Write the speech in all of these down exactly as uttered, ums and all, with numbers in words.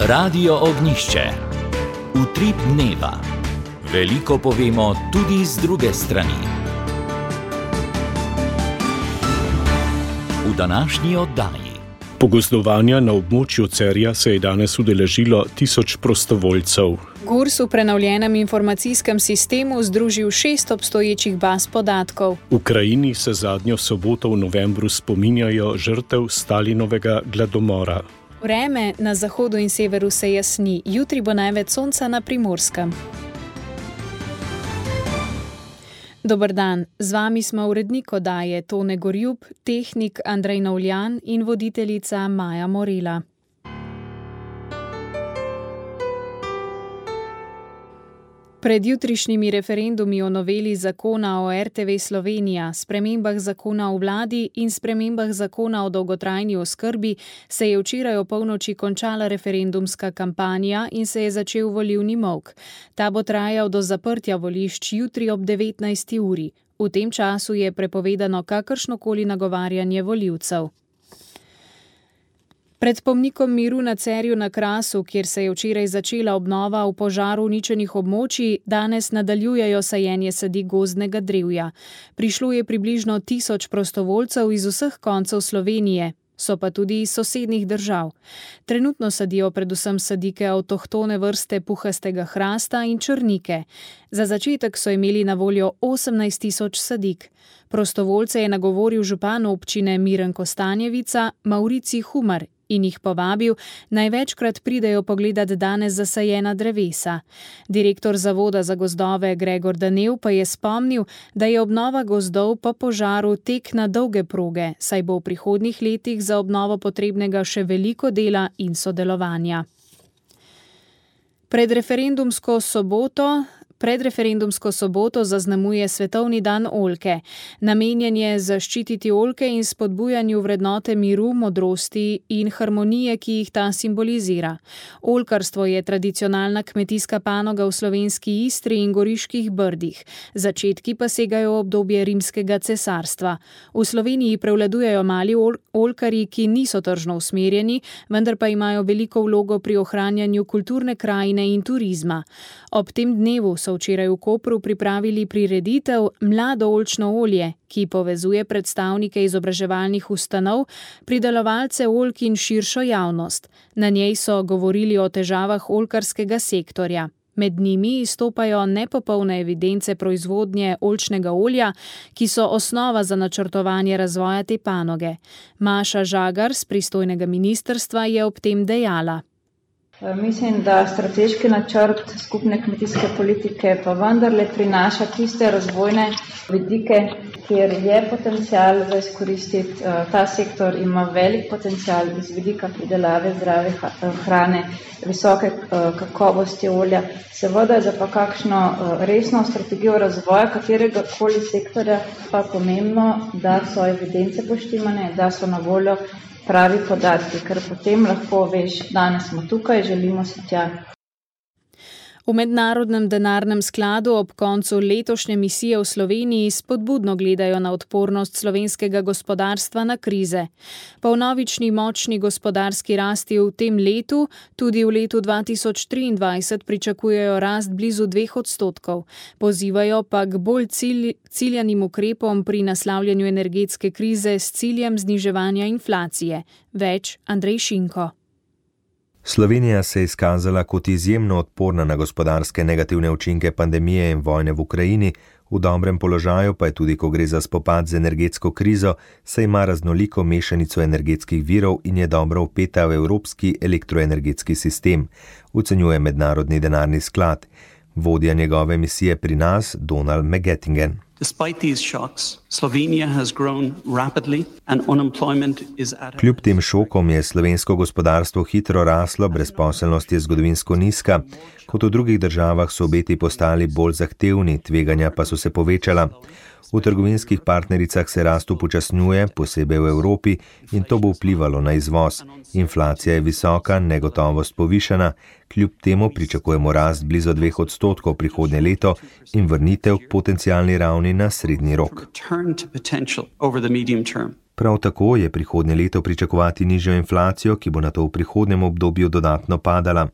Radio Ognjišče. Utrip dneva. Veliko povemo tudi z druge strani. V današnji oddaji. Pogozdovanja na območju Cerja se je danes udeležilo tisoč prostovoljcev. Gurs v prenovljenem informacijskem sistemu združil šest obstoječih baz podatkov. V Ukrajini se zadnjo soboto v novembru spominjajo žrtev Stalinovega gladomora. Vreme na zahodu in severu se jasni, jutri bo največ sonca na Primorskem. Dober dan, z vami smo urednik oddaje Tone Gorjub, tehnik Andrej Novljan in voditeljica Maja Morela. Pred jutrišnjimi referendumi o noveli zakona o R T V Slovenija, spremembah zakona o vladi in spremembah zakona o dolgotrajni oskrbi se je včeraj opolnoči končala referendumska kampanja in se je začel volilni molk. Ta bo trajal do zaprtja volišč jutri ob devetnajsti uri. V tem času je prepovedano kakršnokoli nagovarjanje volivcev. Pred pomnikom miru na Cerju na Krasu, kjer se je včeraj začela obnova v požaru uničenih območij, danes nadaljujejo sajenje sadik gozdnega drevja. Prišlo je približno tisoč prostovoljcev iz vseh koncev Slovenije, so pa tudi iz sosednjih držav. Trenutno sadijo predvsem sadike avtohtone vrste puhastega hrasta in črnike. Za začetek so imeli na voljo osemnajst tisoč sadik. Prostovoljce je nagovoril župan občine Miren Kostanjevica, Maurici Humar, in jih povabil, največkrat pridejo pogledat danes zasajena drevesa. Direktor Zavoda za gozdove Gregor Danev pa je spomnil, da je obnova gozdov po požaru tek na dolge proge, saj bo v prihodnjih letih za obnovo potrebnega še veliko dela in sodelovanja. Pred referendumsko soboto Predreferendumsko soboto zaznamuje Svetovni dan oljke. Namenjen je zaščititi oljke in spodbujanju vrednote miru, modrosti in harmonije, ki jih ta simbolizira. Oljkarstvo je tradicionalna kmetijska panoga v slovenski Istri in Goriških brdih. Začetki pa segajo v obdobje rimskega cesarstva. V Sloveniji prevladujejo mali ol- oljkarji, ki niso tržno usmerjeni, vendar pa imajo veliko vlogo pri ohranjanju kulturne krajine in turizma. Ob tem dnevu so včeraj v Kopru pripravili prireditev Mlado oljčno olje, ki povezuje predstavnike izobraževalnih ustanov, pridelovalce oljk in širšo javnost. Na njej so govorili o težavah oljkarskega sektorja. Med njimi izstopajo nepopolne evidence proizvodnje oljčnega olja, ki so osnova za načrtovanje razvoja te panoge. Maša Žagar z pristojnega ministrstva je ob tem dejala. Mislim, da strateški načrt skupne kmetijske politike pa vendarle prinaša tiste razvojne vidike, kjer je potencial za izkoristiti. Ta sektor ima velik potencial iz vidika pridelave zdrave hrane, visoke kakovosti olja. Seveda je za pa kakšno resno strategijo razvoja katerega koli sektorja pa pomembno, da so evidence poštimane, da so na voljo pravi podatki, ker potem lahko veš, danes smo tukaj, želimo se tja. V Mednarodnem denarnem skladu ob koncu letošnje misije v Sloveniji spodbudno gledajo na odpornost slovenskega gospodarstva na krize. Po vnovični močni gospodarski rasti v tem letu, tudi v letu dva tisoč triindvajset pričakujejo rast blizu dveh odstotkov. Pozivajo pa k bolj cilj, ciljanim ukrepom pri naslavljanju energetske krize s ciljem zniževanja inflacije. Več Andrej Šinko. Slovenija se je izkazala kot izjemno odporna na gospodarske negativne učinke pandemije in vojne v Ukrajini, v dobrem položaju pa je tudi, ko gre za spopad z energetsko krizo, saj ima raznoliko mešanico energetskih virov in je dobro vpeta v evropski elektroenergetski sistem, ocenjuje Mednarodni denarni sklad. Vodja njegove misije pri nas, Donald McGettingen. Kljub tem šokom je slovensko gospodarstvo hitro raslo, brezposelnost je zgodovinsko nizka. Kot v drugih državah so obeti postali bolj zahtevni, tveganja pa so se povečala. V trgovinskih partnericah se rast upočasnjuje, posebej v Evropi, in to bo vplivalo na izvoz. Inflacija je visoka, negotovost povišana, kljub temu pričakujemo rast blizu dveh odstotkov prihodnje leto in vrnitev k potencialni ravni na srednji rok. Prav tako je prihodnje leto pričakovati nižjo inflacijo, ki bo nato v prihodnjem obdobju dodatno padala.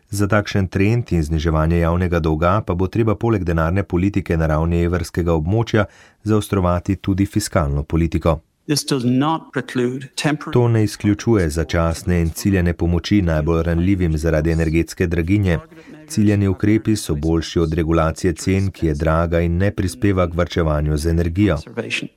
Za takšen trend in zniževanje javnega dolga pa bo treba poleg denarne politike na ravni evrskega območja zaostrovati tudi fiskalno politiko. To ne izključuje začasne in ciljane pomoči najbolj ranljivim zaradi energetske draginje. Ciljani ukrepi so boljši od regulacije cen, ki je draga in ne prispeva k varčevanju z energijo,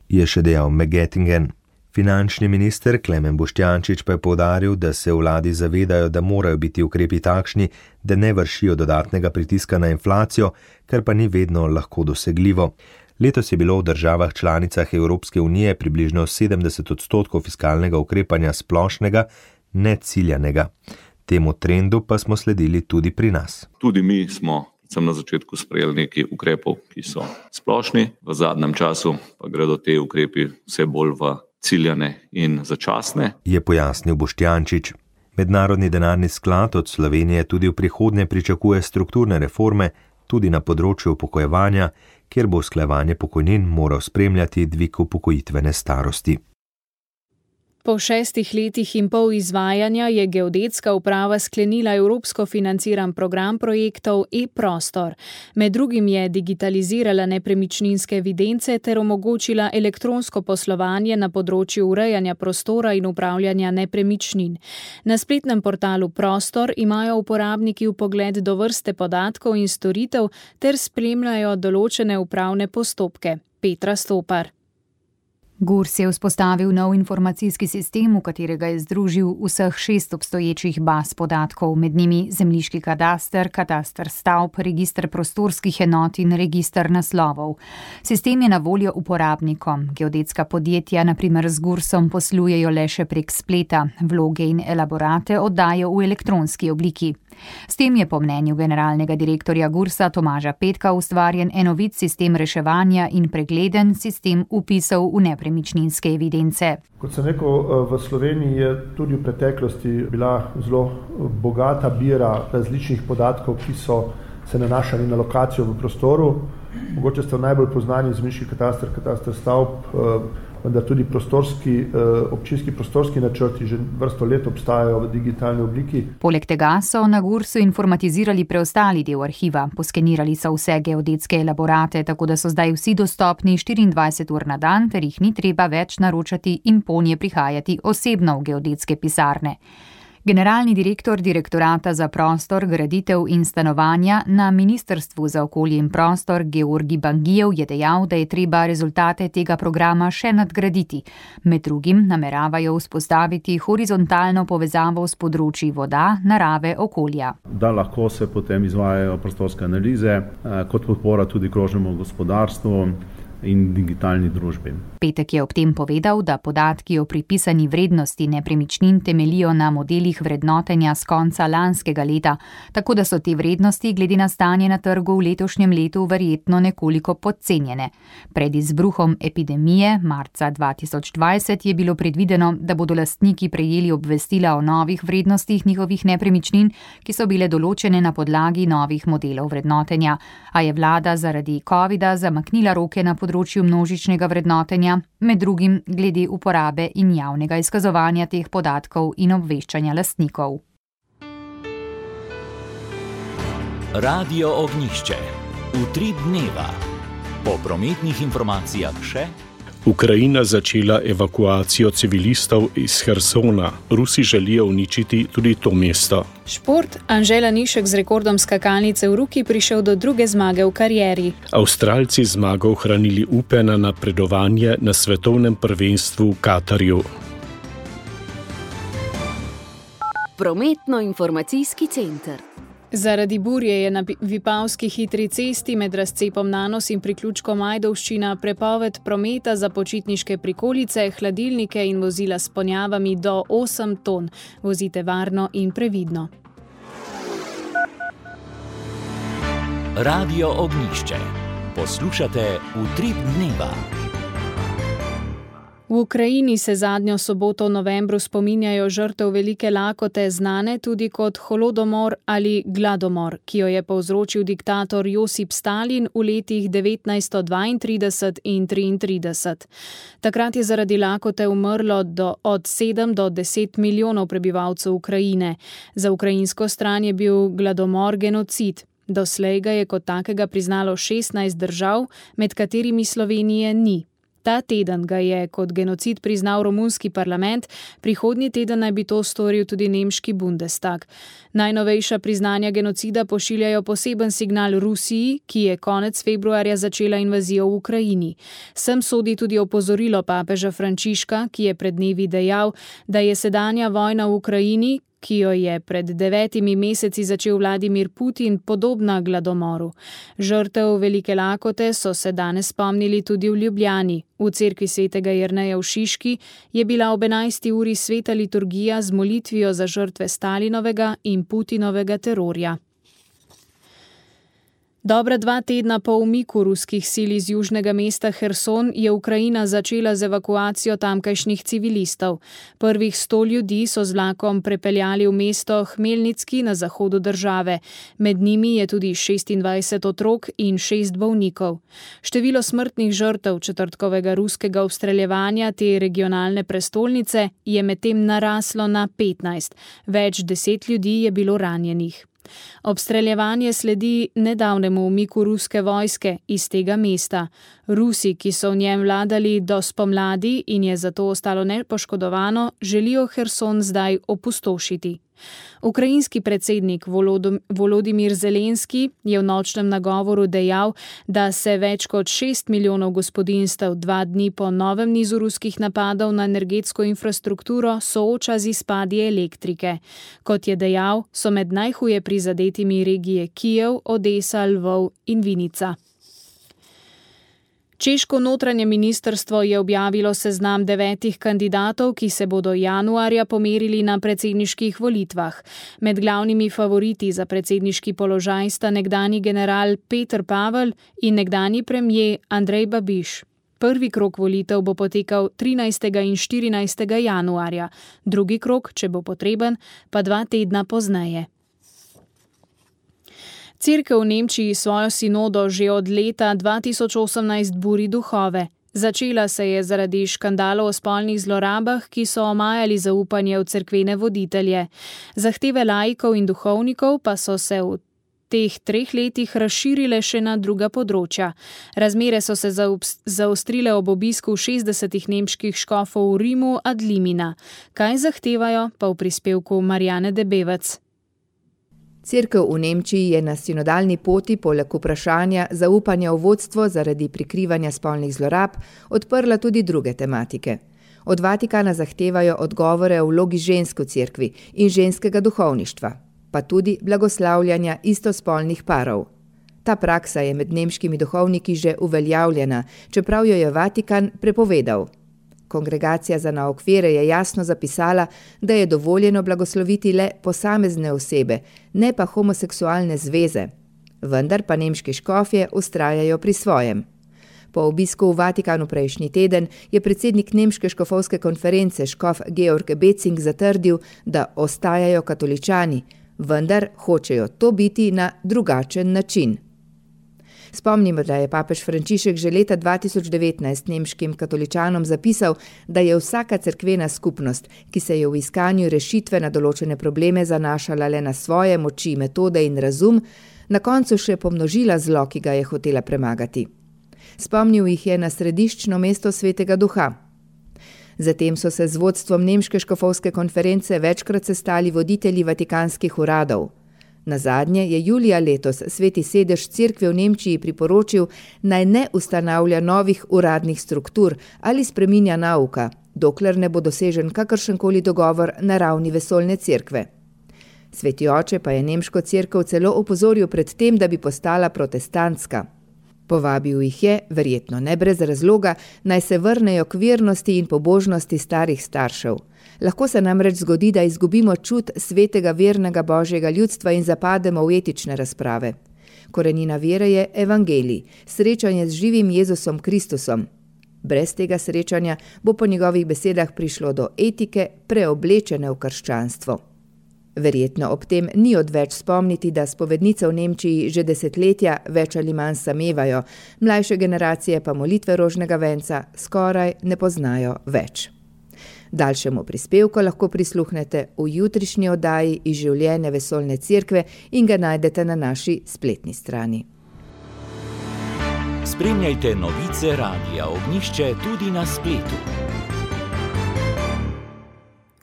je še dejal McGettingen. Finančni minister Klemen Boštjančič pa je poudaril, da se v vladi zavedajo, da morajo biti ukrepi takšni, da ne vršijo dodatnega pritiska na inflacijo, kar pa ni vedno lahko dosegljivo. Letos je bilo v državah članicah Evropske unije približno sedemdeset odstotkov fiskalnega ukrepanja splošnega, ne ciljanega. Temu trendu pa smo sledili tudi pri nas. Tudi mi smo sem na začetku sprejeli nekaj ukrepov, ki so splošni, v zadnjem času pa gredo te ukrepi vse bolj v ciljane in začasne, je pojasnil Boštjančič. Mednarodni denarni sklad od Slovenije tudi v prihodnje pričakuje strukturne reforme, tudi na področju upokojevanja, kjer bo usklajevanje pokojnin moral spremljati dvig upokojitvene starosti. Po šestih letih in pol izvajanja je Geodetska uprava sklenila evropsko financiran program projektov e-prostor. Med drugim je digitalizirala nepremičninske evidence ter omogočila elektronsko poslovanje na področju urejanja prostora in upravljanja nepremičnin. Na spletnem portalu Prostor imajo uporabniki vpogled do vrste podatkov in storitev ter spremljajo določene upravne postopke. Petra Stopar. Gurs je vzpostavil nov informacijski sistem, v katerega je združil vseh šest obstoječih baz podatkov, med njimi zemljiški kadaster, kataster stavb, register prostorskih enot in register naslovov. Sistem je na voljo uporabnikom. Geodetska podjetja, na primer z Gursom, poslujejo le še prek spleta, vloge in elaborate oddajo v elektronski obliki. S tem je po mnenju generalnega direktorja Gursa Tomaža Petka ustvarjen enovit sistem reševanja in pregleden sistem vpisov v nepremičninske evidence. Kot sem rekel, v Sloveniji je tudi v preteklosti bila zelo bogata bira različnih podatkov, ki so se nanašali na lokacijo v prostoru. Mogoče ste najbolj poznani zemljiški kataster, kataster stavb, vendar tudi prostorski, občinski prostorski načrti že vrsto let obstajajo v digitalni obliki. Poleg tega so na Gursu informatizirali preostali del arhiva, poskenirali so vse geodetske elaborate, tako da so zdaj vsi dostopni štiriindvajset ur na dan, ter jih ni treba več naročati in ponje prihajati osebno v geodetske pisarne. Generalni direktor Direktorata za prostor, graditev in stanovanja na Ministrstvu za okolje in prostor Georgi Bangijev je dejal, da je treba rezultate tega programa še nadgraditi. Med drugim nameravajo vzpostaviti horizontalno povezavo s področji voda, narave, okolja. Da lahko se potem izvajajo prostorske analize, kot podpora tudi krožnemu gospodarstvu in digitalni družbi. Petek je ob tem povedal, da podatki o pripisani vrednosti nepremičnin temelijo na modelih vrednotenja s konca lanskega leta, tako da so te vrednosti glede na stanje na trgu v letošnjem letu verjetno nekoliko podcenjene. Pred izbruhom epidemije marca dva tisoč dvajset je bilo predvideno, da bodo lastniki prejeli obvestila o novih vrednostih njihovih nepremičnin, ki so bile določene na podlagi novih modelov vrednotenja, a je vlada zaradi covida zamaknila roke na področju množičnega vrednotenja, med drugim glede uporabe in javnega izkazovanja teh podatkov in obveščanja lastnikov. Radio Ognjišče. Utrip dneva. Po prometnih informacijah še. Ukrajina začela evakuacijo civilistov iz Hersona. Rusi želijo uničiti tudi to mesto. Šport. Anžela Nišek z rekordom skakalnice v roki prišel do druge zmage v karieri. Avstralci zmago ohranili upe na napredovanje na svetovnem prvenstvu v Katarju. Prometno-informacijski center. Zaradi burje je na Vipavski hitri cesti med razcepom Nanos in priključkom Ajdovščina prepoved prometa za počitniške prikolice, hladilnike in vozila s ponjavami do osem ton. Vozite varno in previdno. Radio Ognjišče. Poslušate Utrip dneva. V Ukrajini se zadnjo soboto v novembru spominjajo žrtev velike lakote, znane tudi kot holodomor ali gladomor, ki jo je povzročil diktator Josip Stalin v letih devetnajststo dvaintrideset in triintrideset. Takrat je zaradi lakote umrlo do, od sedem do deset milijonov prebivalcev Ukrajine. Za ukrajinsko stran je bil gladomor genocid. Doslej ga je kot takega priznalo šestnajst držav, med katerimi Slovenije ni. Ta teden ga je kot genocid priznal romunski parlament, prihodnji teden naj bi to storil tudi nemški Bundestag. Najnovejša priznanja genocida pošiljajo poseben signal Rusiji, ki je konec februarja začela invazijo v Ukrajini. Sem sodi tudi opozorilo papeža Frančiška, ki je pred dnevi dejal, da je sedanja vojna v Ukrajini, ki jo je pred devetimi meseci začel Vladimir Putin, podobna gladomoru. Žrtev velike lakote so se danes spomnili tudi v Ljubljani. V cerkvi svetega Jerneja v Šiški je bila ob enajsti uri sveta liturgija z molitvijo za žrtve Stalinovega in Putinovega terorja. Dobra dva tedna po umiku ruskih sil iz južnega mesta Herson je Ukrajina začela z evakuacijo tamkajšnjih civilistov. Prvih sto ljudi so z vlakom prepeljali v mesto Hmelnicki na zahodu države. Med njimi je tudi šestindvajset otrok in šest bolnikov. Število smrtnih žrtev četrtkovega ruskega obstreljevanja te regionalne prestolnice je medtem naraslo na petnajst. Več deset ljudi je bilo ranjenih. Obstreljevanje sledi nedavnemu umiku ruske vojske iz tega mesta. Rusi, ki so v njem vladali do spomladi in je zato ostalo nepoškodovano, želijo Herson zdaj opustošiti. Ukrajinski predsednik Volodimir Zelenski je v nočnem nagovoru dejal, da se več kot šest milijonov gospodinjstev dva dni po novem nizu ruskih napadov na energetsko infrastrukturo sooča z izpadi elektrike. Kot je dejal, so med najhuje prizadetimi regije Kijev, Odesa, Lvov in Vinica. Češko notranje ministrstvo je objavilo seznam devetih kandidatov, ki se bodo januarja pomerili na predsedniških volitvah. Med glavnimi favoriti za predsedniški položaj sta nekdanji general Peter Pavel in nekdanji premier Andrej Babiš. Prvi krog volitev bo potekal trinajstega in štirinajstega januarja, drugi krog, če bo potreben, pa dva tedna pozneje. Cerkev v Nemčiji svojo sinodo že od leta dva tisoč osemnajst buri duhove. Začela se je zaradi škandalov o spolnih zlorabah, ki so omajali zaupanje v cerkvene voditelje. Zahteve laikov in duhovnikov pa so se v teh treh letih razširile še na druga področja. Razmere so se zaostrile ob obisku šestdesetih nemških škofov v Rimu ad limina. Kaj zahtevajo, pa v prispevku Marjane Debevec. Cerkev v Nemčiji je na sinodalni poti poleg vprašanja zaupanja v vodstvo zaradi prikrivanja spolnih zlorab odprla tudi druge tematike. Od Vatikana zahtevajo odgovore o vlogi žensk v cerkvi in ženskega duhovništva, pa tudi blagoslavljanja istospolnih parov. Ta praksa je med nemškimi duhovniki že uveljavljena, čeprav jo je Vatikan prepovedal. Kongregacija za nauk vere je jasno zapisala, da je dovoljeno blagosloviti le posamezne osebe, ne pa homoseksualne zveze. Vendar pa nemški škofje vztrajajo pri svojem. Po obisku v Vatikanu prejšnji teden je predsednik nemške škofovske konference škof Georg Becing zatrdil, da ostajajo katoličani, vendar hočejo to biti na drugačen način. Spomnimo, da je papež Frančišek že leta dva tisoč devetnajst nemškim katoličanom zapisal, da je vsaka cerkvena skupnost, ki se je v iskanju rešitve na določene probleme zanašala le na svoje moči, metode in razum, na koncu še pomnožila zlo, ki ga je hotela premagati. Spomnil jih je na središčno mesto Svetega Duha. Zatem so se z vodstvom nemške škofovske konference večkrat sestali voditelji vatikanskih uradov. Nazadnje je julija letos Sveti sedež cerkve v Nemčiji priporočil, naj ne ustanavlja novih uradnih struktur ali spreminja nauka, dokler ne bo dosežen kakršenkoli dogovor na ravni vesoljne cerkve. Sveti oče pa je nemško cerkev celo opozoril pred tem, da bi postala protestantska. Povabil jih je, verjetno ne brez razloga, naj se vrnejo k vernosti in pobožnosti starih staršev. Lahko se namreč zgodi, da izgubimo čut svetega vernega božjega ljudstva in zapademo v etične razprave. Korenina vere je evangelij, srečanje z živim Jezusom Kristusom. Brez tega srečanja bo po njegovih besedah prišlo do etike, preoblečene v krščanstvo. Verjetno ob tem ni odveč spomniti, da spovednice v Nemčiji že desetletja več ali manj samevajo, mlajše generacije pa molitve rožnega venca skoraj ne poznajo več. Daljšemu prispevku lahko prisluhnete v jutrišnji oddaji iz življenja Vesoljne cerkve in ga najdete na naši spletni strani. Spremljajte novice Radia Ognjišče tudi na spletu.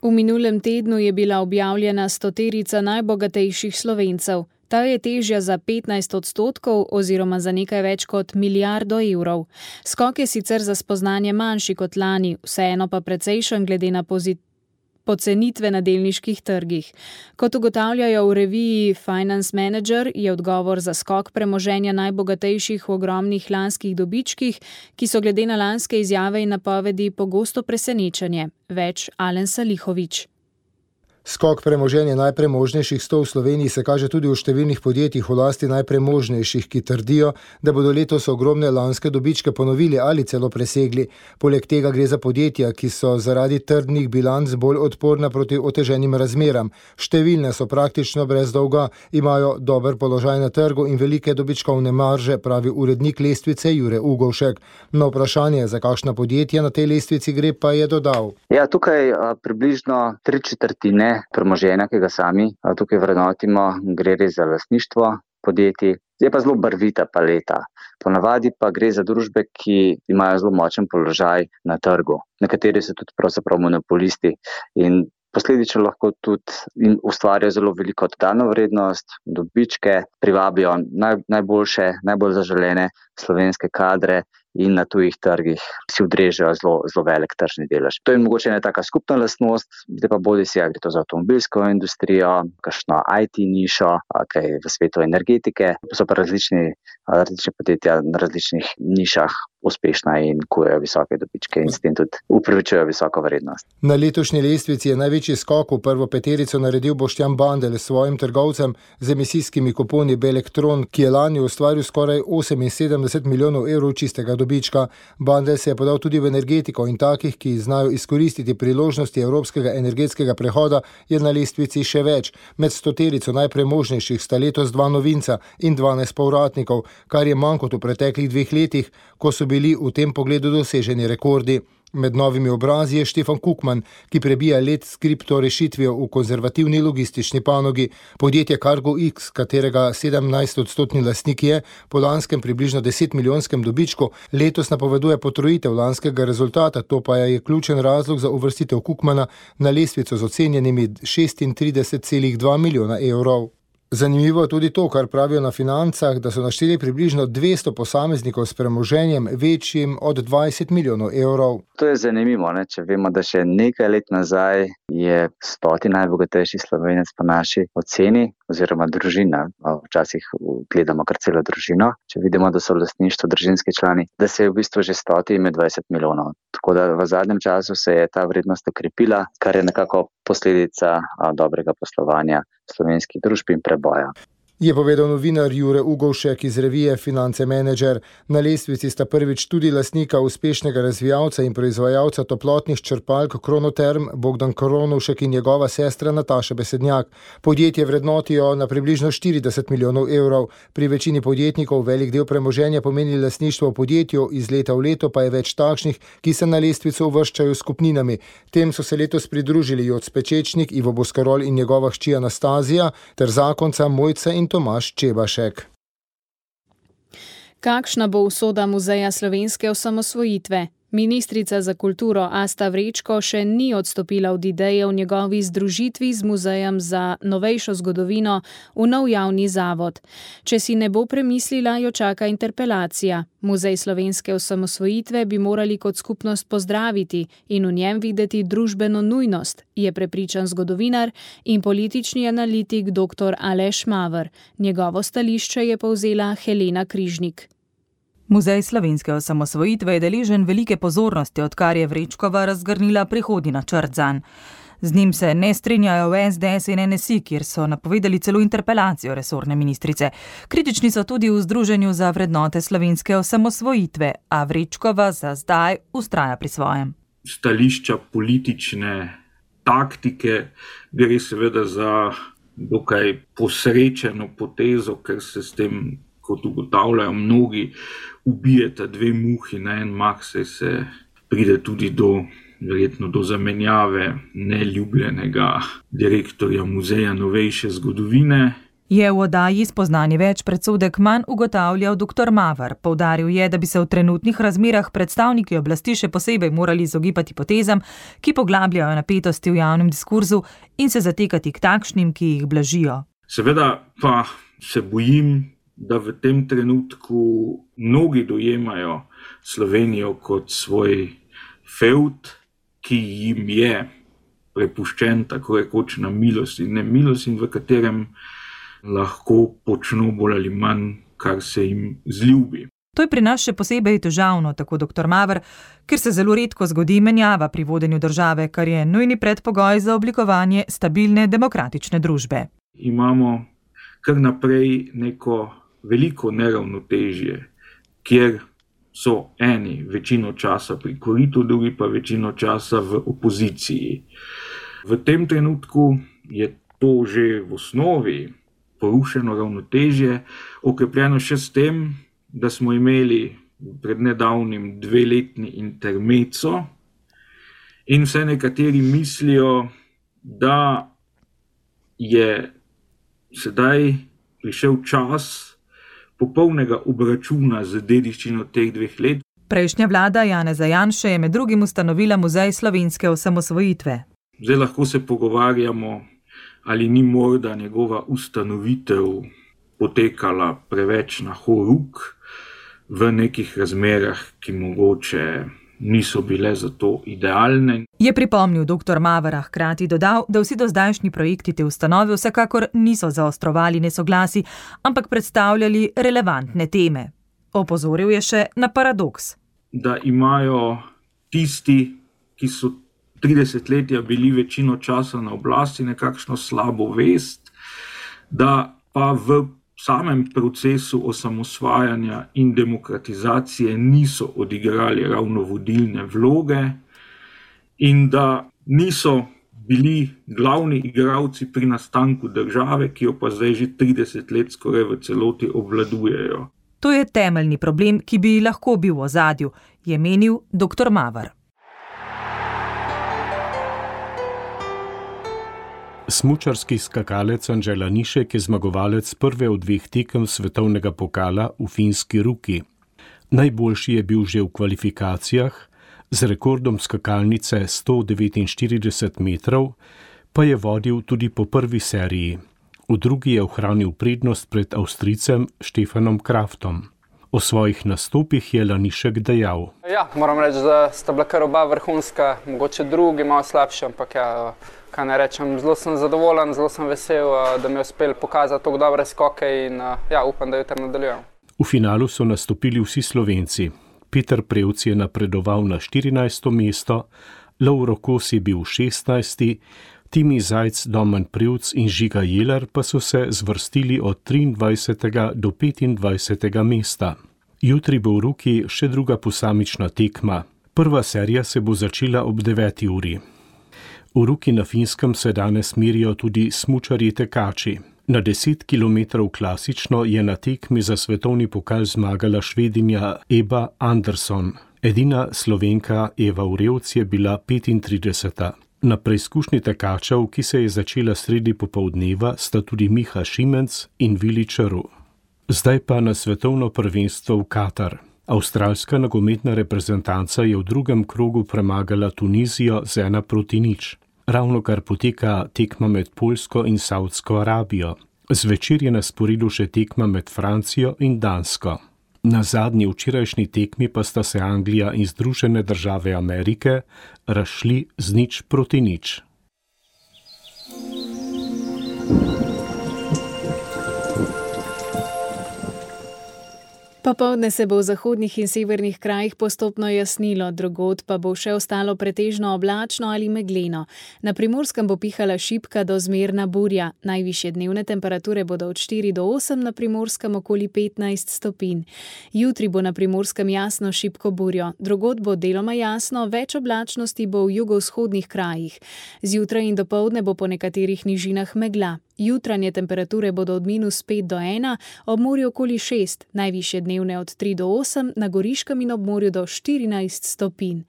V minulem tednu je bila objavljena stoterica najbogatejših Slovencev. Ta je težja za petnajst odstotkov oziroma za nekaj več kot milijardo evrov. Skok je sicer za spoznanje manjši kot lani, vseeno pa precejšen glede na pozit- pocenitve na delniških trgih. Kot ugotavljajo v reviji Finance Manager, je odgovor za skok premoženja najbogatejših v ogromnih lanskih dobičkih, ki so glede na lanske izjave in napovedi pogosto presenečenje. Več Alen Salihović. Skok premoženja najpremožnejših sto v Sloveniji se kaže tudi v številnih podjetjih v lasti najpremožnejših, ki trdijo, da bodo letos ogromne lanske dobičke ponovili ali celo presegli. Poleg tega gre za podjetja, ki so zaradi trdnih bilanc bolj odporna proti oteženim razmeram. Številne so praktično brez dolga, imajo dober položaj na trgu in velike dobičkovne marže, pravi urednik lestvice Jure Ugovšek. Na vprašanje, za kakšna podjetja na tej lestvici gre, pa je dodal. Ja, tukaj a, približno tri četrtine premoženja, ki ga sami a, tukaj vrednotimo, gre res za lastništvo podjetij. Je pa zelo barvita paleta. Ponavadi pa gre za družbe, ki imajo zelo močen položaj na trgu. Nekateri so tudi pravzaprav monopolisti in posledično lahko tudi ustvarjajo zelo veliko dodano vrednost, dobičke, privabijo naj, najboljše, najbolj zaželene slovenske kadre in na tujih trgih si odrežejo zelo, zelo velik tržni delež. To je mogoče ena taka skupna lastnost, zdaj pa bodi si, gre to za avtomobilsko industrijo, kakšno I T nišo, kaj v svetu energetike, so pa različni, različni podjetja na različnih nišah uspešna in kujejo visoke dobičke in s tem tudi upravičujejo visoko vrednost. Na letošnji lestvici je največji skok v prvo peterico naredil Boštjan Bandelj s svojim trgovcem z emisijskimi kuponi Belektron, ki je lani ustvaril skoraj oseminsedemdeset milijonov evrov čistega dobička. Bandelj se je podal tudi v energetiko in takih, ki znajo izkoristiti priložnosti evropskega energetskega prehoda, je na lestvici še več. Med stoterico najpremožnejših sta letos dva novinca in dvanajst povratnikov, kar je manj kot v preteklih dveh letih, ko so bili v tem pogledu doseženi rekordi. Med novimi obrazi je Štefan Kukman, ki prebija let s kripto rešitvijo v konzervativni logistični panogi. Podjetje Cargo X, katerega sedemnajst odstotni lastnik je, po lanskem približno deset milijonskem dobičku, letos napoveduje potrojitev lanskega rezultata, to pa je ključen razlog za uvrstitev Kukmana na lestvico z ocenjenimi šestintrideset celih dva milijona evrov. Zanimivo je tudi to, kar pravijo na Financah, da so našteli približno dvesto posameznikov s premoženjem večjim od dvajset milijonov evrov. To je zanimivo, ne? Če vemo, da še nekaj let nazaj je stoti najbogatejši Slovenec po naši oceni oziroma družina, včasih gledamo kar celo družino, če vidimo, da so v lastništvu družinski člani, da se je v bistvu že stoti ime dvajset milijonov. Tako da v zadnjem času se je ta vrednost okrepila, kar je nekako posledica a, dobrega poslovanja slovenskih družb in preboja. Je povedal novinar Jure Ugovšek iz revije Finance Manager. Na lestvici sta prvič tudi lastnika uspešnega razvijalca in proizvajalca toplotnih črpalk Kronoterm Bogdan Kronovšek in njegova sestra Nataša Besednjak. Podjetje vrednotijo na približno štirideset milijonov evrov. Pri večini podjetnikov velik del premoženja pomeni lastništvo v podjetju, iz leta v leto pa je več takšnih, ki se na lestvico uvrščajo s kupninami. Tem so se letos pridružili Joc Pečečnik, Ivo Boskarol in njegova hči Anastazija ter zakonca Mojca in Tomaž Čebašek. Kakšna bo usoda Muzeja slovenske osamosvojitve? Ministrica za kulturo Asta Vrečko še ni odstopila od ideje o njegovi združitvi z Muzejem za novejšo zgodovino v nov javni zavod. Če si ne bo premislila, jo čaka interpelacija. Muzej slovenske osamosvojitve bi morali kot skupnost pozdraviti in v njem videti družbeno nujnost, je prepričan zgodovinar in politični analitik dr. Aleš Maver. Njegovo stališče je povzela Helena Križnik. Muzej slovenske osamosvojitve je deležen velike pozornosti, odkar je Vrečkova razgrnila prihodnji načrt zanj. Z njim se ne strinjajo v es de es in en es i, kjer so napovedali celo interpelacijo resorne ministrice. Kritični so tudi v Združenju za vrednote slovenske osamosvojitve, a Vrečkova za zdaj vztraja pri svojem. Stališča politične taktike gre seveda za dokaj posrečeno potezo, ker se s tem, kot ugotavljajo mnogi, ubijeta dve muhi na en mah, saj se pride tudi do, verjetno do zamenjave neljubljenega direktorja Muzeja novejše zgodovine. Je v oddaji Spoznanje več predsodek manj ugotavljal doktor Maver. Poudaril je, da bi se v trenutnih razmerah predstavniki oblasti še posebej morali izogibati potezam, ki poglabljajo napetosti v javnem diskurzu in se zatekati k takšnim, ki jih blažijo. Seveda pa se bojim, da v tem trenutku mnogi dojemajo Slovenijo kot svoj fevd, ki jim je prepuščen tako rekoč na milost in nemilost in v katerem lahko počno bolj ali manj, kar se jim zljubi. To je pri nas še posebej težavno, tako doktor Maver, ker se zelo redko zgodi menjava pri vodenju države, kar je nujni predpogoj za oblikovanje stabilne demokratične družbe. Imamo kar naprej neko veliko neravnotežje, kjer so eni večino časa pri koritu, drugi pa večino časa v opoziciji. V tem trenutku je to že v osnovi porušeno ravnotežje, okrepljeno še s tem, da smo imeli pred nedavnim dveletni intermezzo in vse nekateri mislijo, da je sedaj prišel čas popolnega obračuna z dediščino teh dveh let. Prejšnja vlada Janeza Janše je med drugim ustanovila Muzej slovenske osamosvojitve. Zdaj lahko se pogovarjamo, ali ni morda njegova ustanovitev potekala preveč na horuk v nekih razmerah, ki mogoče niso bile za to idealne. Je pripomnil doktor Maver, hkrati dodal, da vsi dozdajšnji projekti te ustanove vsekakor niso zaostrovali nesoglasi, ampak predstavljali relevantne teme. Opozoril je še na paradoks. Da imajo tisti, ki so tridesetletja bili večino časa na oblasti, nekakšno slabo vest, da pa v samem procesu osamosvajanja in demokratizacije niso odigrali ravno vodilne vloge in da niso bili glavni igralci pri nastanku države, ki jo pa zdaj že trideset let skoraj v celoti obvladujejo. To je temeljni problem, ki bi lahko bil v ozadju, je menil doktor Maver. Smučarski skakalec Anže Lanišek je zmagovalec prve od dveh tekem svetovnega pokala v finski Ruki. Najboljši je bil že v kvalifikacijah, z rekordom skakalnice sto devetinštirideset metrov, pa je vodil tudi po prvi seriji. V drugi je ohranil prednost pred Avstrijcem Stefanom Kraftom. O svojih nastopih je Lanišek dejal. Ja, moram reči, da sta bila kar oba vrhunska, mogoče drugi malo slabši, ampak ja, kaj ne rečem, zelo sem zadovoljen, zelo sem vesel, da mi je uspel pokazati tako dobre skoke in ja, upam, da jutri nadaljujem. V finalu so nastopili vsi Slovenci. Peter Prevc je napredoval na štirinajsto mesto, Lovro Kos je bil šestnajsti, Timi Zajc, Domen Prevc in Žiga Jeler pa so se zvrstili od triindvajsetega do petindvajsetega mesta. Jutri bo v Ruki še druga posamična tekma. Prva serija se bo začela ob deveti uri. V Ruki na Finskem se danes merijo tudi smučarji tekači. Na deset kilometrov klasično je na tekmi za svetovni pokal zmagala Švedinja Eba Andersson. Edina Slovenka Eva Urevc je bila petintrideseta. Na preizkušnji tekačev, ki se je začela sredi popoldneva, sta tudi Miha Šimenc in Vili Črv. Zdaj pa na svetovno prvenstvo v Katar. Avstralska nogometna reprezentanca je v drugem krogu premagala Tunizijo z ena proti nič. Ravno kar poteka tekma med Poljsko in Saudsko Arabijo. Zvečer je na sporedu še tekma med Francijo in Dansko. Na zadnji včerajšnji tekmi pa sta se Anglija in Združene države Amerike razšli z nič proti nič. Popoldne se bo v zahodnih in severnih krajih postopno jasnilo, drugod pa bo še ostalo pretežno oblačno ali megleno. Na Primorskem bo pihala šibka do zmerna burja. Najvišje dnevne temperature bodo od štiri do osem, na Primorskem okoli petnajst stopinj. Jutri bo na Primorskem jasno šibko burjo, drugod bo deloma jasno, več oblačnosti bo v jugovzhodnih krajih. Zjutraj in dopoldne bo po nekaterih nižinah megla. Jutranje temperature bodo od minus pet do ena, ob morju okoli šest, najvišje dnevne od tri do osem, na Goriškem in ob morju do štirinajst stopinj.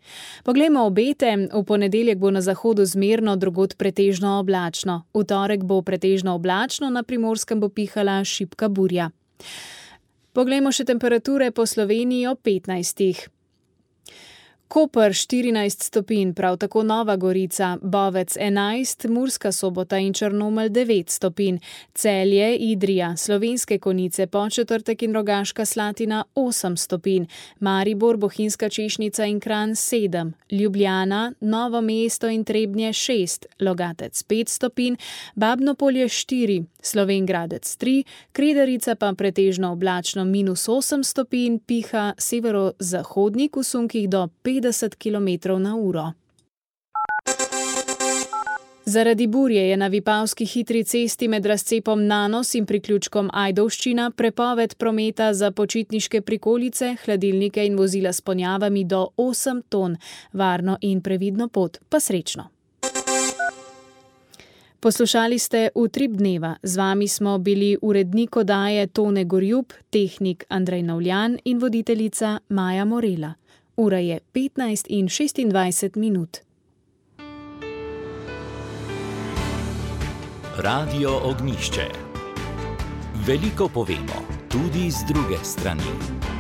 Poglejmo obete, v ponedeljek bo na zahodu zmerno, drugod pretežno oblačno. V torek bo pretežno oblačno, na Primorskem bo pihala šibka burja. Poglejmo še temperature po Sloveniji ob petnajstih. Koper štirinajst stopinj, prav tako Nova Gorica, Bovec enajst, Murska Sobota in Črnomelj devet stopinj, Celje, Idrija, Slovenske Konjice, Podčetrtek in Rogaška Slatina osem stopinj, Maribor, Bohinjska Češnica in Kranj sedem, Ljubljana, Novo mesto in Trebnje šest, Logatec pet stopinj, Babno Polje štiri, Slovenj Gradec tri, Kredarica pa pretežno oblačno minus osem stopinj, piha severozahodnik v sunkih do petdeset kilometrov na uro. Zaradi burje je na Vipavski hitri cesti med razcepom Nanos in priključkom Ajdovščina prepoved prometa za počitniške prikolice, hladilnike in vozila s ponjavami do osem ton. Varno in previdno pot, pa srečno. Poslušali ste Utrip dneva. Z vami smo bili urednik oddaje Tone Gorjup, tehnik Andrej Navljan in voditeljica Maja Morela. Ura je petnajst in šestindvajset minut. Radio Ognjišče. Veliko povemo, tudi z druge strani.